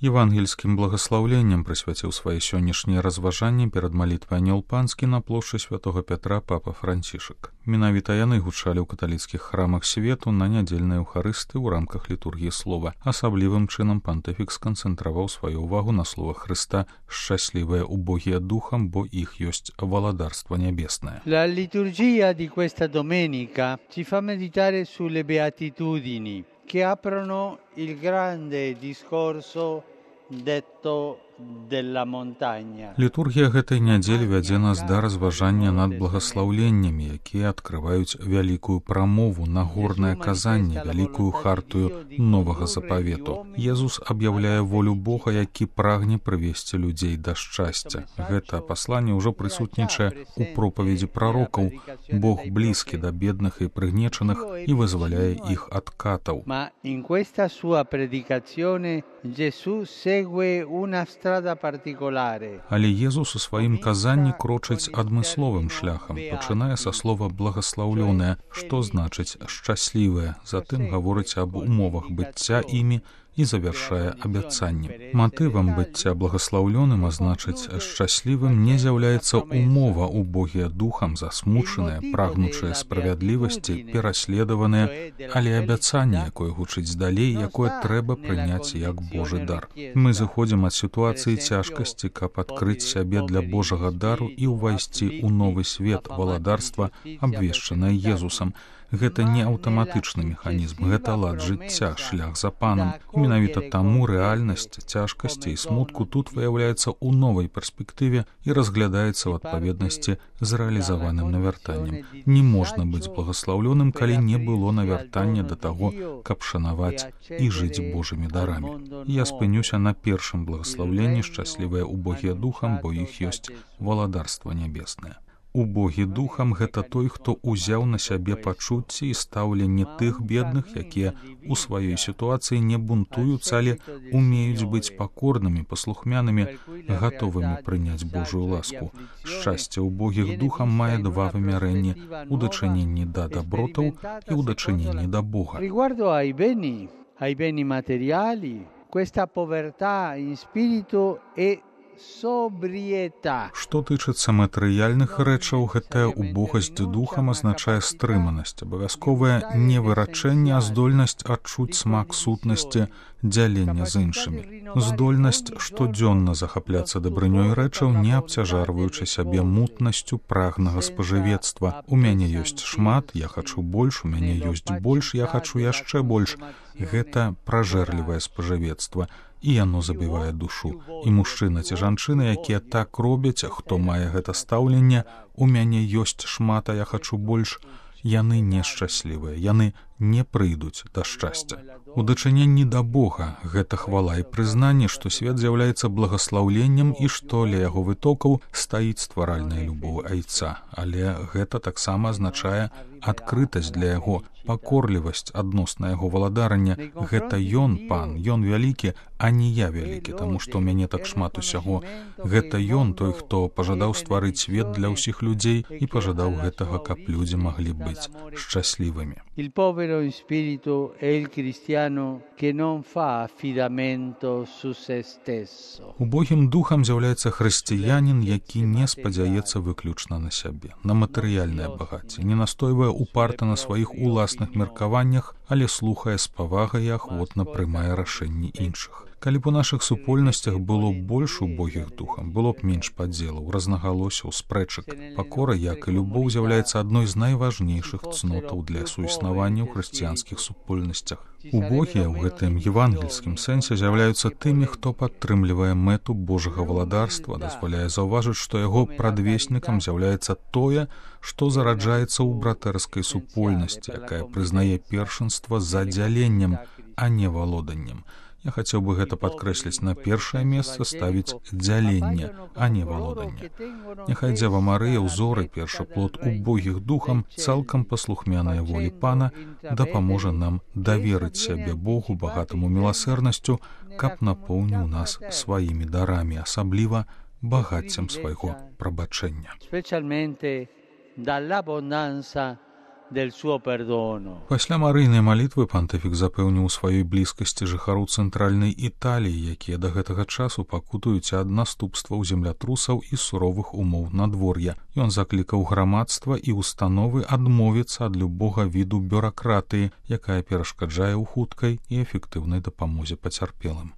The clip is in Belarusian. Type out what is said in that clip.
Евангельскім благаслаўленнем прысвяціў свае сённяшнія разважанні перад малітвай Анёл Панскі на плошчы святого Пятра папа Францішак. Менавіта яны гучалі ў каталіцкіх храмах свету на нядзельнай еўхарысты ў рамках літургіі слова. Асаблівым чынам пантыфік сканцэнтраваў сваю ўвагу на словах Хрыста «Шчаслівыя убогія духам, бо іх ёсць валадарства нябеснае». La liturgia di questa domenica ci fa meditare sulle beatitudini che aprono il grande discorso detto della montagna. Літургія гэтай нядзелі вядзе нас да разважання над благаслаўленнямі, якія адкрываюць вялікую прамову, нагорнае казанне, вялікую хартую новага запавету. Езус аб'яўляе волю Бога, які прагне прывесці людзей да шчасця. Гэта пасланне ўжо прысутнічае ў пропаведзі прарокаў. Бог блізкі да бедных і прыгнечаных і вызваляе іх ад катаў. Ma in questa sua predicazione Gesù segue una strada particolare. Але Езус у сваім казанні крочыць адмысловым шляхам, пачынае са слова «благаслаўлёнае», што значыць «шчаслівае», затым гаворыць аб умовах быцця імі і завяршае абяцаннем. Матывам быцця благаслаўлёным, а значыць шчаслівым, не з'яўляецца умова убогія духам, засмучаныя, прагнучыя справядлівасці, пераследаваныя, але абяцанне, якое гучыць далей, якое трэба прыняць як Божы дар. Мы зыходзім ад сітуацыі цяжкасці, каб адкрыць сябе для Божага дару і ўвайсці ў новы свет валадарства, абвешчанае Езусам. Гэта не аўтаматычны механізм, гэта лад жыцця, шлях за панам. Менавіта таму рэальнасць цяжкасці і смутку тут выяўляецца ў новай перспектыве і разглядаецца ў адпаведнасці з рэалізаваным навяртаннем. Не можна быць благаслаўлёным, калі не было навяртання да таго, каб шанаваць і жыць Божымі дарамі. Я спынюся на першым благаслаўленні «Шчаслівыя убогія духам, бо іх ёсць валадарства нябеснае». Убогі духам – гэта той, хто узяў на сябе пачуцці і стаўленне тых бедных, якія ў сваёй сітуацыі не бунтуюцца, але умеюць быць пакорнымі, паслухмянымі, гатовымі прыняць Божую ласку. Шчасце убогіх духам мае два вымярэнні – у дачыненні да дабротаў і ў дачыненні да Бога. Riguardo ai beni materiali, questa povertà in spirito è Што тычыцца матэрыяльных рэчаў, гэтая убогасць духам азначае стрыманасць, абавязковае не вырачэнне, а здольнасць адчуць смак сутнасці дзялення з іншымі. Здольнасць штодзённа захапляцца дабрынёй рэчаў, не абцяжарваючы сябе мутнасцю прагнага спажывецтва. У мяне ёсць шмат, я хачу больш, у мяне ёсць больш, я хачу яшчэ больш. Гэта пражэрлівае спажывецтва. І яно забівае душу. І мужчына ці жанчына, якія так робяць, хто мае гэта стаўленне, у мяне ёсць шмат, а я хачу больш, яны нешчаслівыя, яны не прыйдуць да шчасця. У дачыненні да Бога гэта хвала і прызнанне, што свет з'яўляецца благаслаўленнем і што ля яго вытокаў стаіць стваральная любоў айца. Але гэта таксама азначае адкрытасць для яго, пакорлівасць адносна яго валадарання. Гэта ён, пан, ён вялікі, а не я вялікі, таму што ў мяне так шмат усяго. Гэта ён, той, хто пажадаў стварыць свет для ўсіх людзей і пажадаў гэтага, каб людзі маглі быць шчаслівымі. Il povero in spirito è il cristiano che non fa affidamento su se stesso. Убогім духам з'яўляецца хрысціянін, які не спадзяецца выключна на сябе, на матэрыяльнае багацце, не настойвае упарта на сваіх уласных меркаваннях, але слухае з павагай і ахвотна прымае рашэнні іншых. Калі б у нашых супольнасцях было больш убогіх духам, было б менш падзелаў, рознагалосяў, спрэчак. Пакора, як і любоў, з'яўляецца адной з найважнейшых цнотаў для суіснавання ў хрысціянскіх супольнасцях. Убогія ў гэтым евангельскім сэнсе з'яўляюцца тымі, хто падтрымлівае мэту Божага валадарства, дазваляе заўважыць, што яго прадвеснікам з'яўляецца тое, што зараджаецца ў братэрскай супольнасці, якая прызнае першынства за дзяленнем, а не валоданнем. Я хацеў бы гэта падкрэсліць, на першае месца ставіць дзяленне, а не валоданне. Няхай Дзева Марыя, ўзор і першы плод убогіх духам, цалкам паслухмяная волі Пана, дапаможа нам даверыць сябе Богу, багатаму міласэрнасцю, каб напоўніў нас сваімі дарамі, асабліва багаццем свайго прабачэння. Specialmente dall'abbondanza del suo perdono. Пасля марыйнай малітвы пантыфік запэўніў сваёй блізкасці жыхароў цэнтральнай Італіі, якія да гэтага часу пакутаюць ад наступстваў землятрусаў і суровых умоў надвор'я. Ён заклікаў грамадства і установы адмовіцца ад любога віду бюракратыі, якая перашкаджае ў хуткай і эфектыўнай дапамозе пацярпелым.